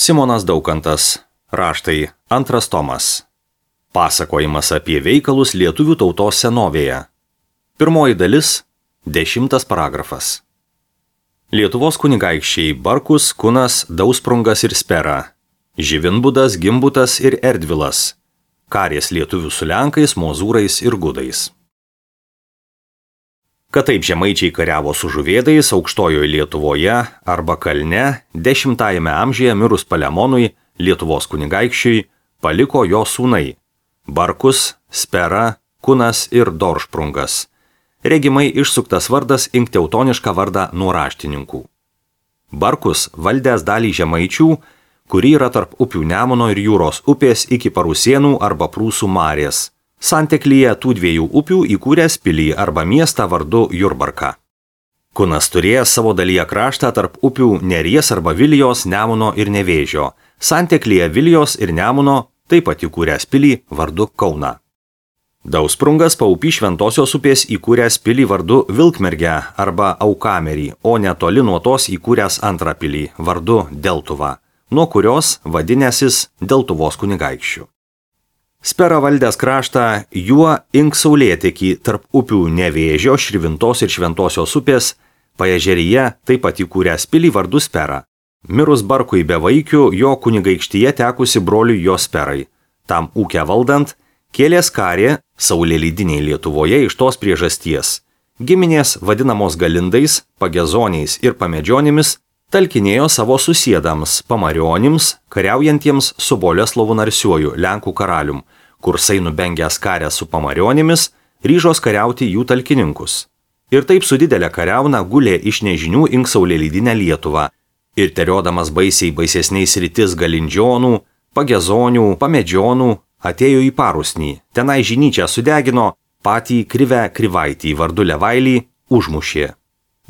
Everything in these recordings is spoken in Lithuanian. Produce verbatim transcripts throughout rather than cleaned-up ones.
Simonas Daukantas. Raštai. Antras tomas. Pasakojimas apie veikalus lietuvių tautos senovėje. Pirmoji dalis. Dešimtas paragrafas. Lietuvos kunigaikščiai Barkus, Kunas, Dausprungas ir Spera. Živinbudas, Gimbutas ir Erdvilas. Karės lietuvių su lenkais, mozūrais ir gudais. Kad taip žemaičiai kariavo su žuvėdais aukštojoje Lietuvoje arba kalne, dešimtajame amžiuje mirus Palemonui, Lietuvos kunigaikščiui, paliko jo sūnai – Barkus, Spera, Kunas ir Doršprungas. Regimai išsuktas vardas imk teutonišką vardą nuo raštininkų. Barkus valdęs dalį žemaičių, kuri yra tarp upių Nemuno ir Jūros upės iki Parusėnų arba Prūsų Marės. Santeklyje tų dviejų upių įkūręs pilį arba miestą vardu Jurbarką. Kunas turėjęs savo dalyje kraštą tarp upių Neries arba Vilijos, Nemuno ir Nevėžio. Santeklyje Vilijos ir Nemuno taip pat įkūręs pilį vardu Kauną. Dausprungas paupy Šventosios upės įkūręs pilį vardu Vilkmergę arba Aukamerį, o netoli nuo tos įkūręs antrą pilį vardu Deltuvą, nuo kurios vadinęsis Deltuvos kunigaikščių. Spera valdęs kraštą juo ink saulėtekį tarp upių Nevėžio, Širvintos ir Šventosios upės, Paežeryje taip pat įkūręs pilį vardu Spera. Mirus Barkui bevaikiu, jo kunigaikštyje tekusi broliui jo Sperai. Tam ūkę valdant, kėlės karė saulėlydiniai Lietuvoje iš tos priežasties. Giminės vadinamos galindais, pagezoniais ir pamedžionimis talkinėjo savo susiedams, pamarionims, kariaujantiems su Boleslovu Narsiuoju, Lenkų karalium, kursai nubengęs karę su pamarionimis, ryžos kariauti jų talkininkus. Ir taip su didelė kariauna gulė iš nežinių ink saulėlydinę Lietuvą, ir teriodamas baisiai baisesniais rytis galindžionų, pagezonių, pamedžionų, atėjo į Parusnį, tenai žinyčią sudegino, patį Krivę Krivaitį vardu Levailį užmušė.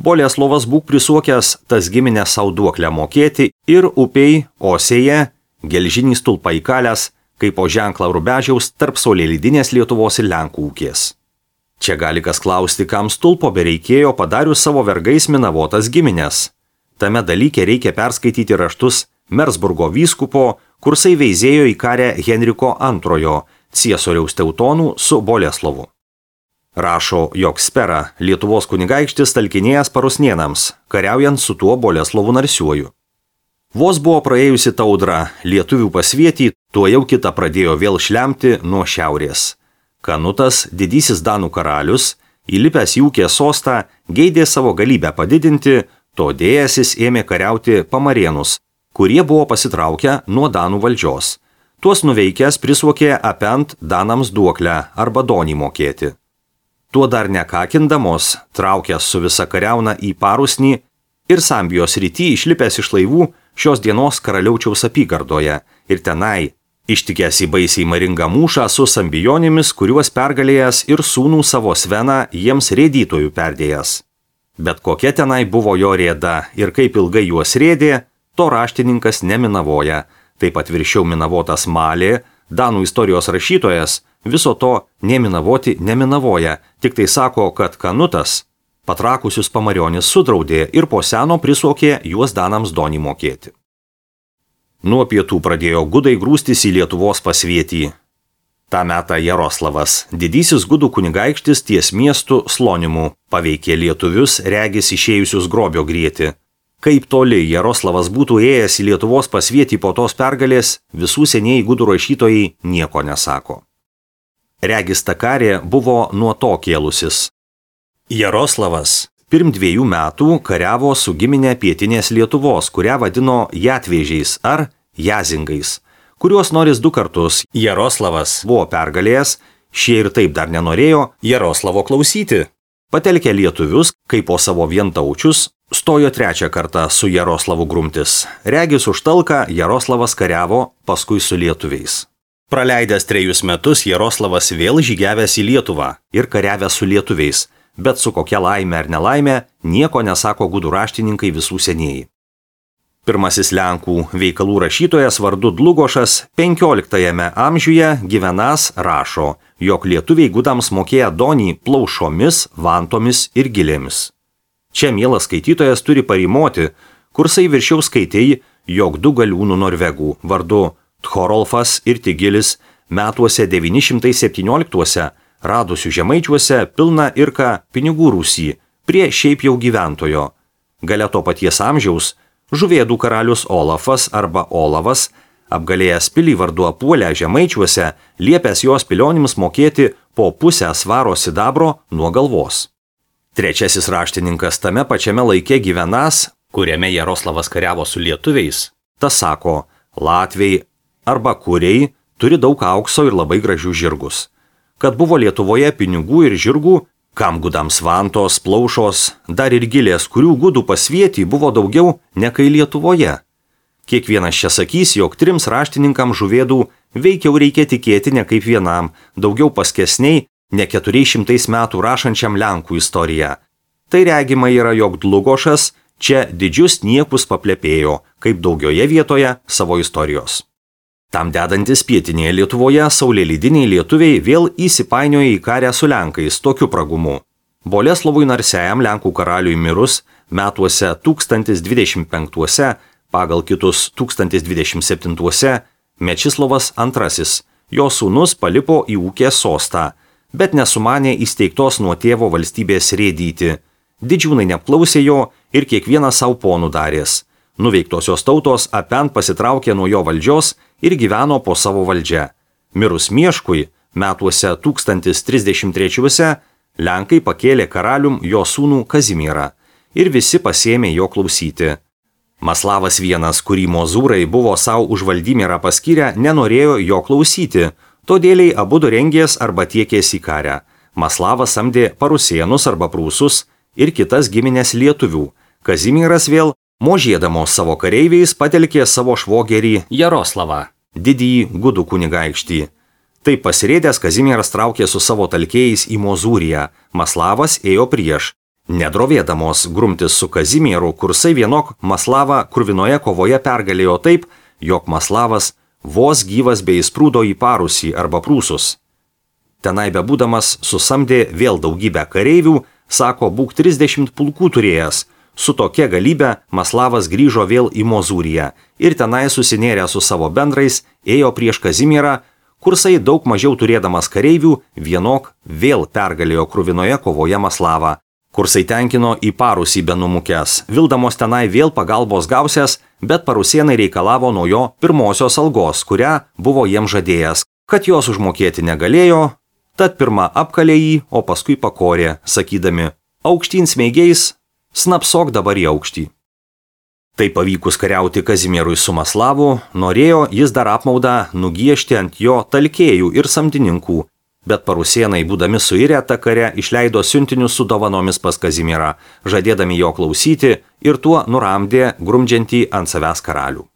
Boleslovas būk prisuokęs tas giminę savo duoklę mokėti ir upiai, Osėje, gelžinį stulpą įkalęs, kaip po ženklą Rubežiaus tarp saulėlydinės Lietuvos ir Lenkų ūkės. Čia gali kas klausti, kam stulpo bereikėjo padarius savo vergais minavotas giminės. Tame dalyke reikia perskaityti raštus Mersburgo vyskupo, kursai veizėjo į karę Henriko antrojo, ciesoriaus teutonų su Boleslovu. Rašo, jog Spera, Lietuvos kunigaikštis talkinėjęs Parusnėnams, kariaujant su tuo Boleslovu Narsiuoju. Vos buvo praėjusi ta audra, lietuvių pasvietį, tuo jau kita pradėjo vėl šlemti nuo šiaurės. Kanutas, didysis Danų karalius, įlipęs į ūkės sostą, geidė savo galybę padidinti, todėjasis ėmė kariauti Pamarėnus, kurie buvo pasitraukę nuo Danų valdžios. Tuos nuveikęs prisuokė apent Danams duoklę arba donį mokėti. Tuo dar nekakindamos, traukęs su visa kariauna į Parusnį ir Sambijos rytį išlipęs iš laivų šios dienos karaliaučiaus apygardoje ir tenai, ištikęs į baisiai maringą mūšą su Sambijonimis, kuriuos pergalėjęs ir sūnų savo Sveną jiems rėdytojų perdėjęs. Bet kokia tenai buvo jo rėda ir kaip ilgai juos rėdė, to raštininkas neminavoja, taip pat viršiau minavotas Malė, Danų istorijos rašytojas, viso to neminavoti neminavoja, tik tai sako, kad Kanutas patrakusius pamarionis sudraudė ir po seno prisuokė juos Danams donį mokėti. Nuo pietų pradėjo gudai grūstis į Lietuvos pasvietį. Ta metą Jaroslavas, didysis gudų kunigaikštis ties miestų Slonimu, paveikė lietuvius regis išėjusius grobio grieti. Kaip toli Jaroslavas būtų ėjęs į Lietuvos pasvietį po tos pergalės, visų senieji gudų rašytojai nieko nesako. Regis ta karė buvo nuo to kėlusis. Jaroslavas pirm dviejų metų kariavo su giminė pietinės Lietuvos, kurią vadino Jatvėžiais ar Jazingais, kuriuos noris du kartus Jaroslavas buvo pergalėjęs, šie ir taip dar nenorėjo Jaroslavo klausyti. Patelkę lietuvius, kaip po savo vientaučius, stojo trečią kartą su Jaroslavu grumtis. Regis už talką Jaroslavas kariavo paskui su lietuviais. Praleidęs trejus metus Jaroslavas vėl žygiavęs į Lietuvą ir kariavęs su lietuviais, bet su kokia laime ar nelaime nieko nesako gudų raštininkai visų senieji. Pirmasis Lenkų veikalų rašytojas vardu Dlugošas penkioliktajame amžiuje gyvenas rašo, jog lietuviai gudams mokėję donį plaušomis, vantomis ir gilėmis. Čia mielas skaitytojas turi parimoti, kursai viršiau skaitėjai, jog du galiūnų norvegų vardu Tchorolfas ir Tigilis metuose devyni šimtai septynioliktuose radusių žemaičiuose pilną irką pinigų rūsį prie šiaip jau gyventojo. Gale to paties amžiaus Žuvėdų karalius Olafas arba Olavas, apgalėjęs pilį vardu Apuolę žemaičiuose, liepęs jos pilionims mokėti po pusę svaro sidabro nuo galvos. Trečiasis raštininkas tame pačiame laike gyvenas, kuriame Jaroslavas kariavo su lietuviais, tas sako, latviai arba kuriai turi daug aukso ir labai gražių žirgus. Kad buvo Lietuvoje pinigų ir žirgų, kam gudams vantos, plaušos, dar ir gilės, kurių gudų pasvietį buvo daugiau nekai Lietuvoje. Kiekvienas čia sakys, jog trims raštininkams Žuvėdų veikiau reikia tikėti ne kaip vienam, daugiau paskesniai, ne keturiais šimtais metų rašančiam Lenkų istoriją. Tai regima yra, jog Dlugošas čia didžius niekus paplepėjo, kaip daugioje vietoje savo istorijos. Tam dedantis pietinėje Lietuvoje saulėlydiniai lietuviai vėl įsipainiojo į karę su Lenkais tokiu pragumu. Boleslovui Narsiajam Lenkų karaliui mirus metuose tūkstantis dvidešimt penktuose, pagal kitus tūkstantis dvidešimt septintuose, Mečislovas antrasis, jo sūnus palipo į Ūkės sostą, bet nesumanė įsteigtos nuo tėvo valstybės rėdyti. Didžiūnai neapklausė jo ir kiekvienas savo ponų darės. Nuveiktosios tautos apen pasitraukė nuo jo valdžios ir gyveno po savo valdžią. Mirus Mieškui, metuose tūkstantis trisdešimt trečiuose, Lenkai pakėlė karalium jo sūnų Kazimierą ir visi pasėmė jo klausyti. Maslavas vienas, kurį mozūrai buvo savo už Valdymirą paskyrę, nenorėjo jo klausyti, todėliai abudu rengės arba tiekės į karę. Maslavas samdė parusėnus arba prūsus ir kitas giminės lietuvių. Kazimieras vėl, možėdamos savo kareiviais, patelkė savo švogerį Jaroslavą, didįjį gudų kunigaikštį. Taip pasirėdęs Kazimieras traukė su savo talkėjais į Mozūriją, Maslavas ėjo prieš. Nedrovėdamos grumtis su Kazimieru, kursai vienok Maslavą kruvinoje kovoje pergalėjo taip, jog Maslavas vos gyvas bei įsprūdo į Parusį arba Prūsus. Tenai bebūdamas susamdė vėl daugybę kareivių, sako, būk trisdešimt pulkų turėjęs. Su tokia galybė Maslavas grįžo vėl į Mozūriją ir tenai susinėrė su savo bendrais, ėjo prieš Kazimierą, kursai daug mažiau turėdamas kareivių, vienok vėl pergalėjo kruvinoje kovoje Maslavą. Kursai tenkino į Parusį benumukęs, vildamos tenai vėl pagalbos gausias, bet parusėnai reikalavo nuo jo pirmosios algos, kurią buvo jiems žadėjęs, kad jos užmokėti negalėjo, tad pirmą apkalė jį, o paskui pakorė, sakydami, aukštyn smeigiais, snapsok dabar į aukštį. Tai pavykus kariauti Kazimierui su Maslavu, norėjo jis dar apmaudą nugiešti ant jo talkėjų ir samdininkų, bet parusėnai, būdami suirę tą kare, išleido siuntinius su dovanomis pas Kazimierą, žadėdami jo klausyti ir tuo nuramdė grumdžiantį ant savęs karalių.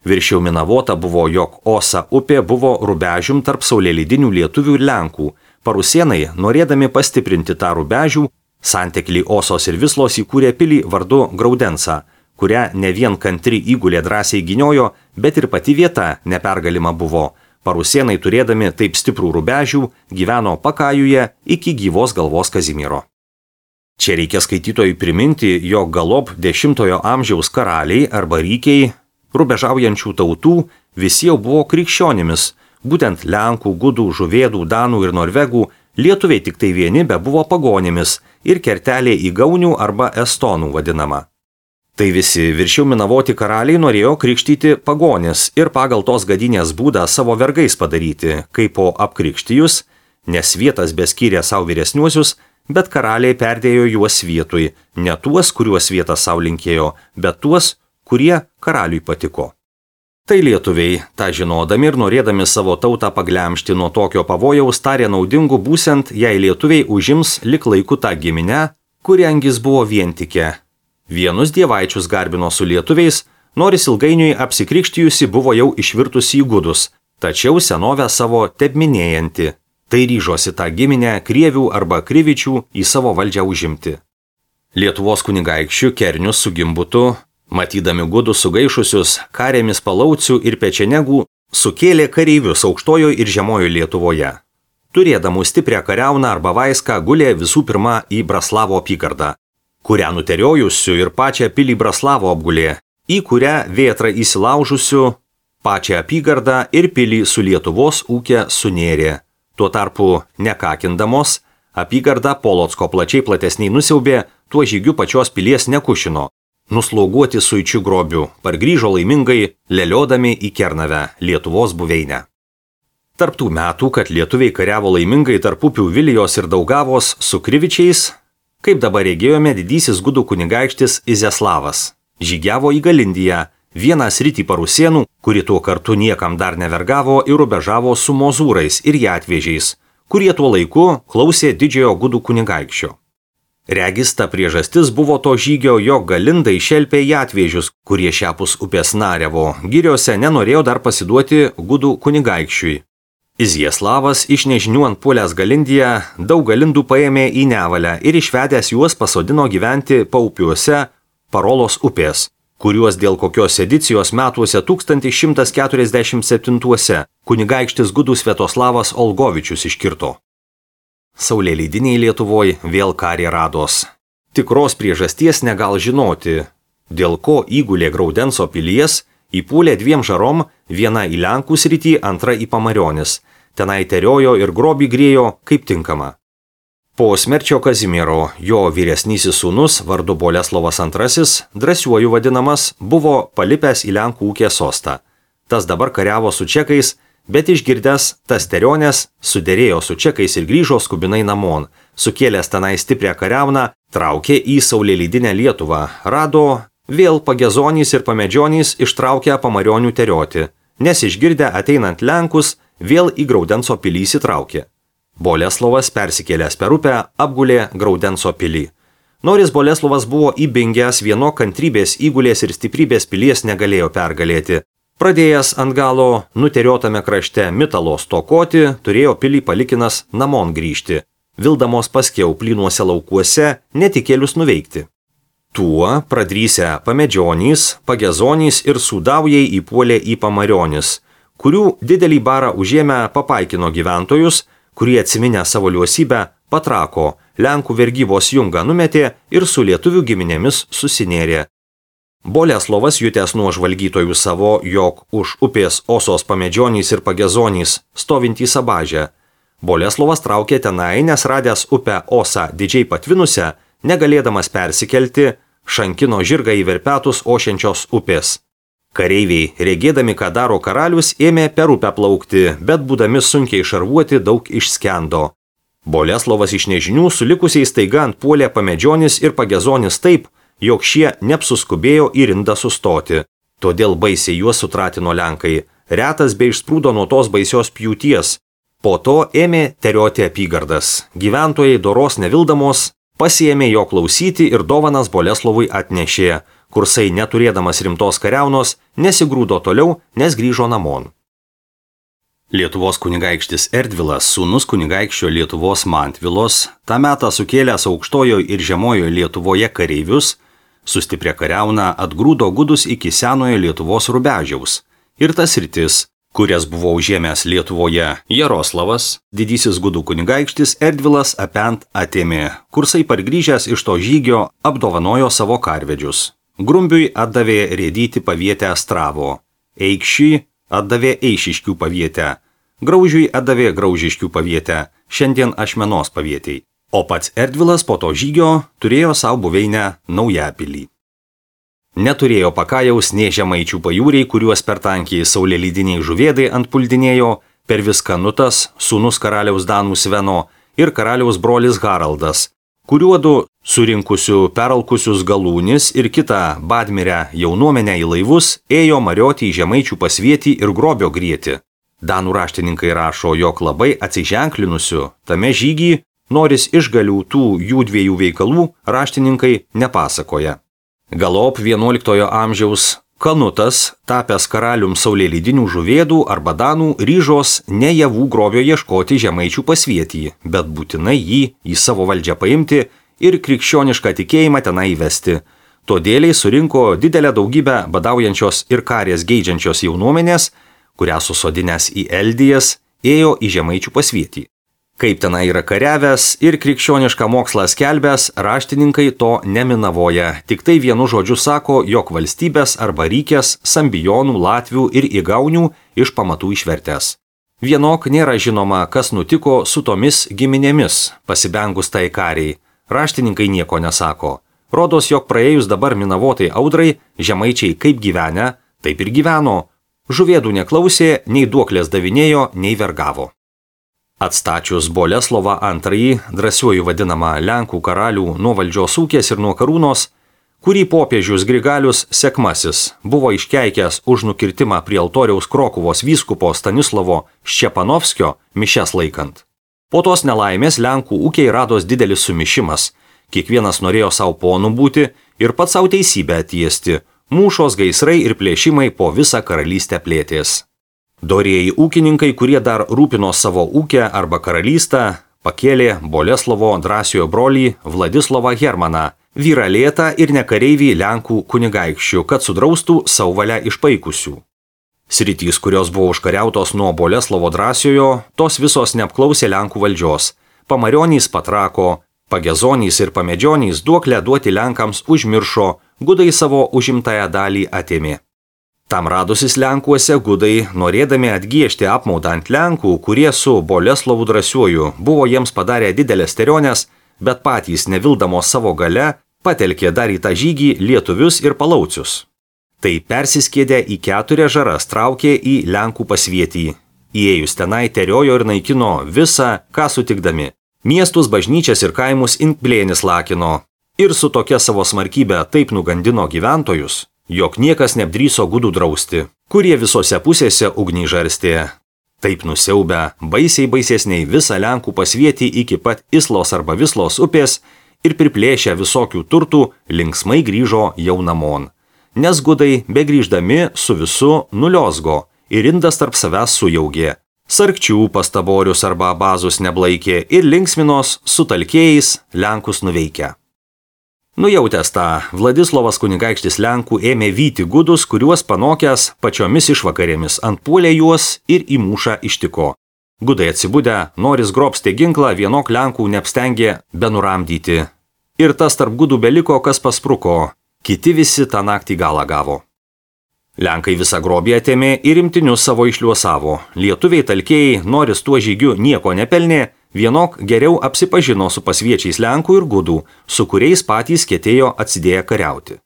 Viršiau minavota buvo, jog Osa upė buvo rubežium tarp saulėlydinių lietuvių ir Lenkų. Parusėnai, norėdami pastiprinti tą rubežių, santeklį Osos ir Vislos įkūrė pilį vardu Graudensą, kurią ne vien kantri įgulė drąsiai gyniojo, bet ir pati vieta nepergalima buvo. Parusėnai, turėdami taip stiprų rubežių, gyveno Pakajuje iki gyvos galvos Kazimiero. Čia reikia skaitytojui priminti, jog galop dešimtojo amžiaus karaliai arba rykiai, rubežaujančių tautų, visi jau buvo krikščionimis, būtent Lenkų, gudų, žuvėdų, danų ir norvegų, lietuviai tik tai vieni be buvo pagonimis ir kertelė į gaunių arba estonų vadinama. Tai visi viršiau minavoti karaliai norėjo krikštyti pagonis ir pagal tos gadynės būdą savo vergais padaryti, kaip po apkrikštijus, nes vietas beskyrė savo vyresniuosius, bet karaliai perdėjo juos vietui, ne tuos, kuriuos vietas savo linkėjo, bet tuos, kurie karaliui patiko. Tai lietuviai, tą žinodami ir norėdami savo tautą paglemžti nuo tokio pavojaus, tarė naudingu būsent, jei lietuviai užims lik laiku tą giminę, kuri angis buvo vientikė. Vienus dievaičius garbino su lietuviais, nors ilgainiui apsikrikštijusi buvo jau išvirtusi į gudus, tačiau senovę savo tebminėjanti. Tai ryžosi tą giminę krievių arba krivičių į savo valdžią užimti. Lietuvos kunigaikščių Kernius su Gimbutu, matydami gudus sugaišusius, karėmis Palaucių ir Pečenegų, sukėlė kareivius aukštojo ir žemojo Lietuvoje. Turėdamų stiprią kariauną arba vaiską gulė visų pirma į Braslavo apygardą, kurią nuteriojusių ir pačią pilį Braslavo apgulė, į kurią vėtrą įsilaužusių pačią apygardą ir pilį su Lietuvos ūkė sunėrė. Tuo tarpu, nekakindamos, apygardą Polocko plačiai platesniai nusiaubė, tuo žygiu pačios pilies nekušino. Nusloguoti suičių grobių, pargrįžo laimingai, leliodami į Kernavę, Lietuvos buveinę. Tarptų metų, kad lietuviai kariavo laimingai tarp upių Vilijos ir Daugavos su Krivičiais, kaip dabar regėjome, didysis gudų kunigaikštis Izeslavas žygiavo į Galindiją, vieną sritį Parusėnų, kuri tuo kartu niekam dar nevergavo ir rubežavo su mozūrais ir jatvėžiais, kurie tuo laiku klausė didžiojo gudų kunigaikščio. Regis ta priežastis buvo to žygio, jog Galindai šelpė jatvėžius, kurie šiapus upės Narevo giriose nenorėjo dar pasiduoti gudų kunigaikščiui. Izjeslavas iš nežinių ant puolęs Galindiją daug galindų paėmė į Nevalę ir išvedęs juos pasodino gyventi paupiuose Parolos upės, kuriuos dėl kokios edicijos metuose tūkstantis šimtas keturiasdešimt septintuose kunigaikštis gudų Sviatoslavas Olgovičius iškirto. Saulėleidiniai Lietuvoje vėl karė rados. Tikros priežasties negal žinoti, dėl ko įgulė Graudenco pilies įpūlė dviem žarom, viena į Lenkų sritį, antra į Pamarionis. Tenai teriojo ir grobį grėjo kaip tinkama. Po smerčio Kazimiero, jo vyresnysis sūnus, vardu Boleslovas antrasis, drąsiuoju vadinamas, buvo palipęs į Lenkų ūkė sostą. Tas dabar kariavo su čekais, bet išgirdęs tas terionės, suderėjo su čekais ir grįžo skubinai namon. Sukėlęs tenai stiprią kariauną, traukė į saulėleidinę Lietuvą, rado vėl pagezonys ir pamedžionys ištraukę Pamarionių terioti, nes išgirdę ateinant Lenkus, vėl į Graudenco pilį įsitraukė. Boleslovas persikėlęs per upę apgulė Graudenco pilį. Noris Boleslovas buvo įbingęs, vieno kantrybės įgulės ir stiprybės pilies negalėjo pergalėti. Pradėjęs ant galo nuteriotame krašte mitalo stokoti, turėjo pilį palikinas namon grįžti, vildamos paskiau plynuose laukuose netikėlius nuveikti. Tuo pradrysę pamedžionys, pagezonys ir sūdaujai įpuolė į Pamarionis, kurių didelį barą užėmę papaikino gyventojus, kurie atsiminę savo liuosybę patrako, Lenkų vergybos jungą numetė ir su lietuvių giminėmis susinėrė. Boleslovas jutęs nuo žvalgytojų savo, jog už upės Osos pamedžionys ir pagezonys stovintį Sabažę. Boleslovas traukė tenai, nes radęs upę Osą didžiai patvinusią, negalėdamas persikelti, šankino žirgą į verpetus ošiančios upės. Kareiviai, regėdami, ką daro karalius, ėmė per upę plaukti, bet būdami sunkiai šarvuoti daug išskendo. Boleslovas iš nežinių su likusiais taiga ant puolė pamedžionis ir pagezonis taip, jog šie neapsuskubėjo į rindą sustoti. Todėl baisiai juos sutratino Lenkai, retas bei išsprūdo nuo tos baisios pjūties. Po to ėmė terioti apygardas. Gyventojai doros nevildamos pasiėmė jo klausyti ir dovanas Boleslovui atnešė, kursai neturėdamas rimtos kariaunos nesigrūdo toliau, nes grįžo namon. Lietuvos kunigaikštis Erdvilas, sūnus kunigaikščio Lietuvos Mantvilos, tą metą sukėlęs aukštojoje ir žemojoje Lietuvoje kareivius, sustiprė kariauną atgrūdo gudus iki senojo Lietuvos rubežiaus ir tas sritis, kurias buvo užėmęs Lietuvoje Jaroslavas, didysis gudų kunigaikštis Erdvilas apent atėmė, kursai pargrįžęs iš to žygio apdovanojo savo karvedžius. Grumbiui atdavė rėdyti pavietę Stravo, Eikščiui atdavė Eišiškių pavietę, Graužiui atdavė Graužiškių pavietę, šiandien Ašmenos pavietiai. O pats Erdvilas po to žygio turėjo savo buveinę Naujapilį. Neturėjo pakajaus nė žemaičių pajūriai, kuriuos per tankiai saulėleidiniai žuvėdai antpuldinėjo, per viską Nutas, sūnus karaliaus Danų Sveno ir karaliaus brolis Haraldas, kuriuodu surinkusių peralkusius galūnis ir kitą badmirę jaunuomenę į laivus ėjo marioti į žemaičių pasvietį ir grobio grieti. Danų raštininkai rašo, jog labai atsiženklinusių tame žygį, noris išgalių tų jų dviejų veikalų, raštininkai nepasakoja. Galop vienuoliktojo amžiaus Kanutas, tapęs karalium saulėleidinių žuvėdų arba danų, ryžos ne javų grobio ieškoti žemaičių pasvietį, bet būtinai jį į savo valdžią paimti ir krikščionišką tikėjimą tenai įvesti. Todėliai surinko didelę daugybę badaujančios ir karės geidžiančios jaunuomenės, kurią susodinęs į Eldijas ėjo į žemaičių pasvietį. Kaip tenai yra kariavęs ir krikščionišką mokslą skelbęs, raštininkai to neminavoja, tik tai vienu žodžiu sako, jog valstybės arba rykės, sambijonų, latvių ir įgaunių iš pamatų išvertęs. Vienok nėra žinoma, kas nutiko su tomis giminėmis, pasibengus tai kariai. Raštininkai nieko nesako. Rodos, jog praėjus dabar minavotai audrai, žemaičiai kaip gyvenę, taip ir gyveno. Žuvėdų neklausė, nei duoklės davinėjo, nei vergavo. Atstačius Boleslovą antrąjį, drąsiuoju vadinamą Lenkų karalių nuo valdžios ūkės ir nuo karūnos, kurį popiežius Grigalius Sekmasis buvo iškeikęs už nukirtimą prie altoriaus Krokuvos vyskupo Stanislovo Ščepanovskio mišias laikant. Po tos nelaimės Lenkų ūkiai rados didelis sumišimas, kiekvienas norėjo savo ponų būti ir pats savo teisybę atiesti, mūšos, gaisrai ir plėšimai po visą karalystę plėtės. Dorieji ūkininkai, kurie dar rūpino savo ūkę arba karalystę, pakėlė Boleslovo drąsiojo brolį Vladislovą Hermaną, vyrą lėtą ir nekareivį Lenkų kunigaikščių, kad sudraustų savo valia išpaikusių. Sritys, kurios buvo užkariautos nuo Boleslovo drąsiojo, tos visos neapklausė Lenkų valdžios. Pamarionys patrako, pagezonys ir pamedžionys duoklę duoti Lenkams užmiršo, gudai savo užimtąją dalį atėmė. Tam radusis Lenkuose gudai, norėdami atgiežti apmaudą ant Lenkų, kurie su Boleslovu drąsiuoju buvo jiems padarę didelės terionės, bet patys nevildamos savo gale, patelkė dar į tą žygį lietuvius ir palaucius. Tai persiskėdę į keturias žaras traukė į Lenkų pasvietį. Įėjus tenai teriojo ir naikino visą, ką sutikdami. Miestus, bažnyčias ir kaimus Inkplėnis lakino. Ir su tokia savo smarkybė taip nugandino gyventojus, jog niekas neapdryso gudų drausti, kurie visose pusėse ugnį žarstė. Taip nusiaubę, baisiai baisesniai visą Lenkų pasvietį iki pat Islos arba Vislos upės ir priplėšę visokių turtų linksmai grįžo jau namon. Nes gudai, begrįždami su visu, nuliosgo ir indas tarp savęs sujaugė. Sarkčių pastaborius arba abazus neblaikė ir linksminos su talkėjais Lenkus nuveikę. Nujautęs tą, Vladislovas kunigaikštis Lenkų ėmė vyti gudus, kuriuos panokęs pačiomis išvakarėmis antpuolė juos ir į mūšą ištiko. Gudai atsibudę, noris grobstė ginklą, vienok Lenkų neapstengė benuramdyti. Ir tas tarp gudų beliko, kas paspruko, kiti visi tą naktį galą gavo. Lenkai visą grobį atėmė ir imtinius savo išliuosavo. Lietuviai talkėjai, noris tuo žygiu nieko nepelnė, vienok geriau apsipažino su pasviečiais Lenkų ir gudų, su kuriais patys ketėjo atsidėję kariauti.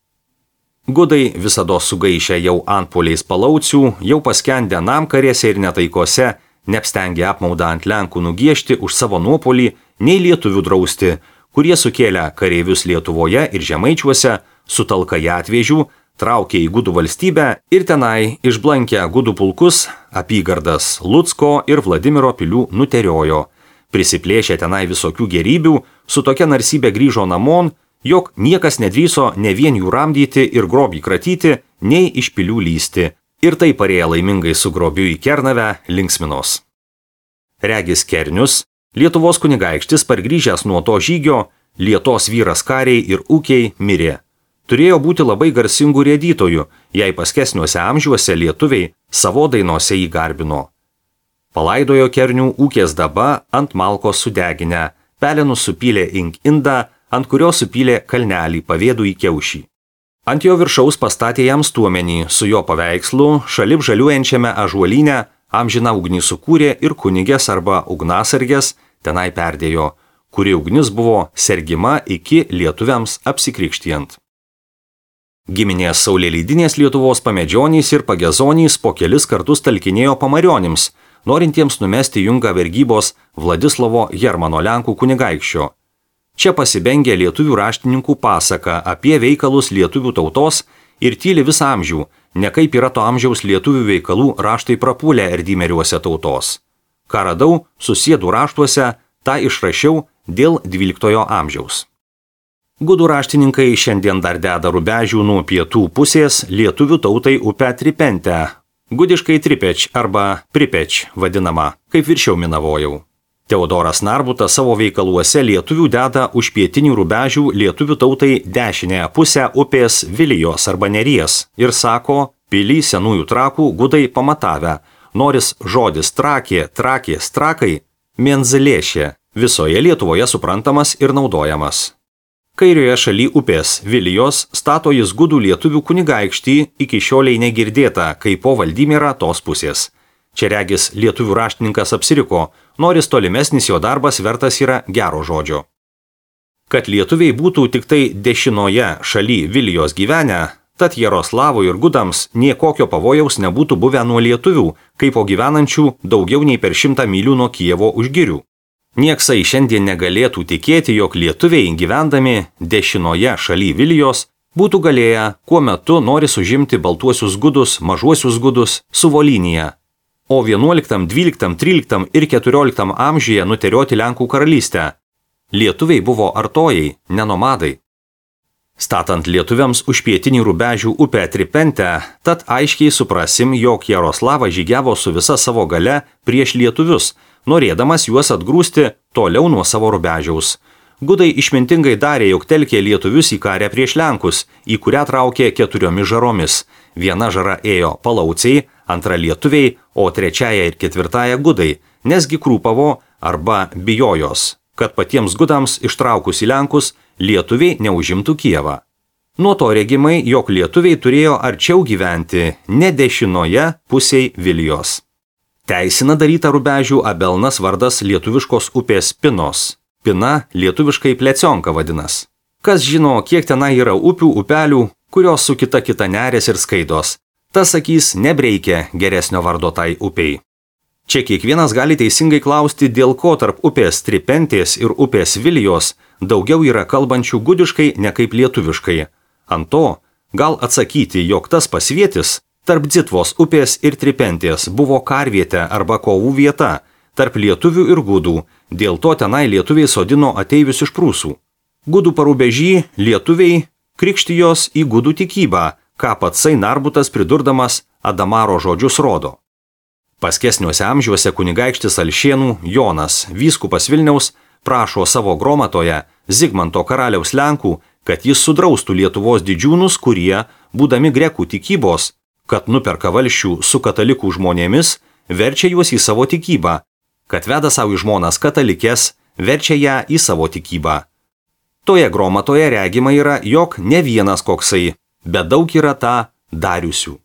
Gudai visada sugaišę jau antpuoliais palaucių, jau paskendę namkarėse ir netaikose, neapstengė apmaudą ant Lenkų nugiežti už savo nuopolį, nei lietuvių drausti, kurie sukėlę kareivius Lietuvoje ir Žemaičiuose, su talka ją atvėžių, traukė į gudų valstybę ir tenai išblankę gudų pulkus apygardas Lucko ir Vladimiro pilių nuteriojo. Prisiplėšė tenai visokių gerybių, su tokia narsybė grįžo namon, jog niekas nedrįso ne vien jų ramdyti ir grobį kratyti, nei iš pilių lysti. Ir tai parėję laimingai su grobiu į Kernavę linksminos. Regis Kernius, Lietuvos kunigaikštis pargrįžęs nuo to žygio, Lietos vyras kariai ir ūkiai mirė. Turėjo būti labai garsingų rėdytojų, jei paskesniuose amžiuose lietuviai savo dainose jį garbino. Palaidojo Kernių ūkės daba ant malkos sudeginę, pelenus supylė ink indą, ant kurio supylė kalnelį pavėdų į kiaušį. Ant jo viršaus pastatė jam stuomenį, su jo paveikslu, šalip žaliuojančiame ąžuolyne, amžiną ugnį sukūrė ir kunigės arba ugnasargės tenai perdėjo, kuri ugnis buvo sergima iki lietuviams apsikrikštijant. Giminės saulėleidinės Lietuvos pamedžionys ir pagezonys po kelis kartus talkinėjo pamarionims, norintiems numesti jungą vergybos Vladislovo Hermano Lenkų kunigaikščio. Čia pasibengė lietuvių raštininkų pasaka apie veikalus lietuvių tautos ir tyli visą amžių, ne kaip yra to amžiaus lietuvių veikalų raštai prapūlę erdymeriuose tautos. Ką radau, susėdų raštuose, tą išrašiau dėl dvyliktojo amžiaus. Gudų raštininkai šiandien dar deda rubežių nuo pietų pusės lietuvių tautai upę Tripentę, gudiškai Tripeč arba Pripeč vadinama, kaip viršiau minavojau. Teodoras Narbutas savo veikaluose lietuvių deda už pietinių rubežių lietuvių tautai dešinėje pusę upės Vilijos arba Neries ir sako, pilį senųjų trakų gudai pamatavę, noris žodis trakė, trakė, strakai, Menzilėšė, visoje Lietuvoje suprantamas ir naudojamas. Kairioje šaly upės Vilijos stato jis gudų lietuvių kunigaikštį, iki šioliai negirdėta, kaip po Valdymirą tos pusės. Čia regis lietuvių raštininkas apsiriko, noris tolimesnis jo darbas vertas yra gero žodžio. Kad lietuviai būtų tik tai dešinoje šaly Vilijos gyvenę, tad Jaroslavui ir gudams niekokio pavojaus nebūtų buvę nuo lietuvių, kaip po gyvenančių daugiau nei per šimtą mylių nuo Kijevo už girių. Nieksai šiandien negalėtų tikėti, jog lietuviai gyvendami dešinoje šaly Vilijos būtų galėję, kuo metu nori užimti baltuosius gudus, mažuosius gudus, su Volyniją, o vienuoliktam, dvyliktam, tryliktam ir keturioliktam amžiuje nuterioti Lenkų karalystę. Lietuviai buvo artojai, ne nomadai. Statant lietuviams už pietinį Rubežių upę Tripentę, tad aiškiai suprasim, jog Jaroslavas žygiavo su visa savo gale prieš lietuvius, norėdamas juos atgrūsti toliau nuo savo Rubežiaus. Gudai išmintingai darė, jog telkė lietuvius į karę prieš Lenkus, į kurią traukė keturiomis žaromis. Viena žara ėjo palauciai, antra lietuviai, o trečiaja ir ketvirtąja gudai, nesgi krūpavo arba bijojos, kad patiems gudams ištraukus į Lenkus lietuviai neužimtų Kijevą. Nuo to regimai, jog lietuviai turėjo arčiau gyventi, ne dešinoje pusėj Vilijos. Teisina daryta Rubežių Abelnas vardas lietuviškos upės Pinos. Pina lietuviškai Plecionka vadinas. Kas žino, kiek tenai yra upių, upelių, kurios su kita kita nerės ir skaidos. Tas sakys, nebreikia geresnio vardo tai upiai. Čia kiekvienas gali teisingai klausti, dėl ko tarp upės Tripentės ir upės Vilijos daugiau yra kalbančių gudiškai ne kaip lietuviškai. Ant to gal atsakyti, jog tas pasvietis tarp Dzitvos upės ir Tripentės buvo karvietė arba kovų vieta, tarp lietuvių ir gudų, dėl to tenai lietuviai sodino ateivius iš Prūsų. Gudų Parubežį lietuviai krikštijos į gudų tikybą, ką patsai Narbutas pridurdamas Adamaro žodžius rodo. Paskesniuose amžiuose kunigaikštis Alšėnų Jonas, vyskupas Vilniaus, prašo savo gromatoje Zigmanto karaliaus Lenkų, kad jis sudraustų Lietuvos didžiūnus, kurie, būdami grekų tikybos, kad nuperka valsčių su katalikų žmonėmis, verčia juos į savo tikybą, kad veda savo į žmonas katalikės, verčia ją į savo tikybą. Toje gromatoje regima yra, jog ne vienas koksai, bet daug yra tą dariusių.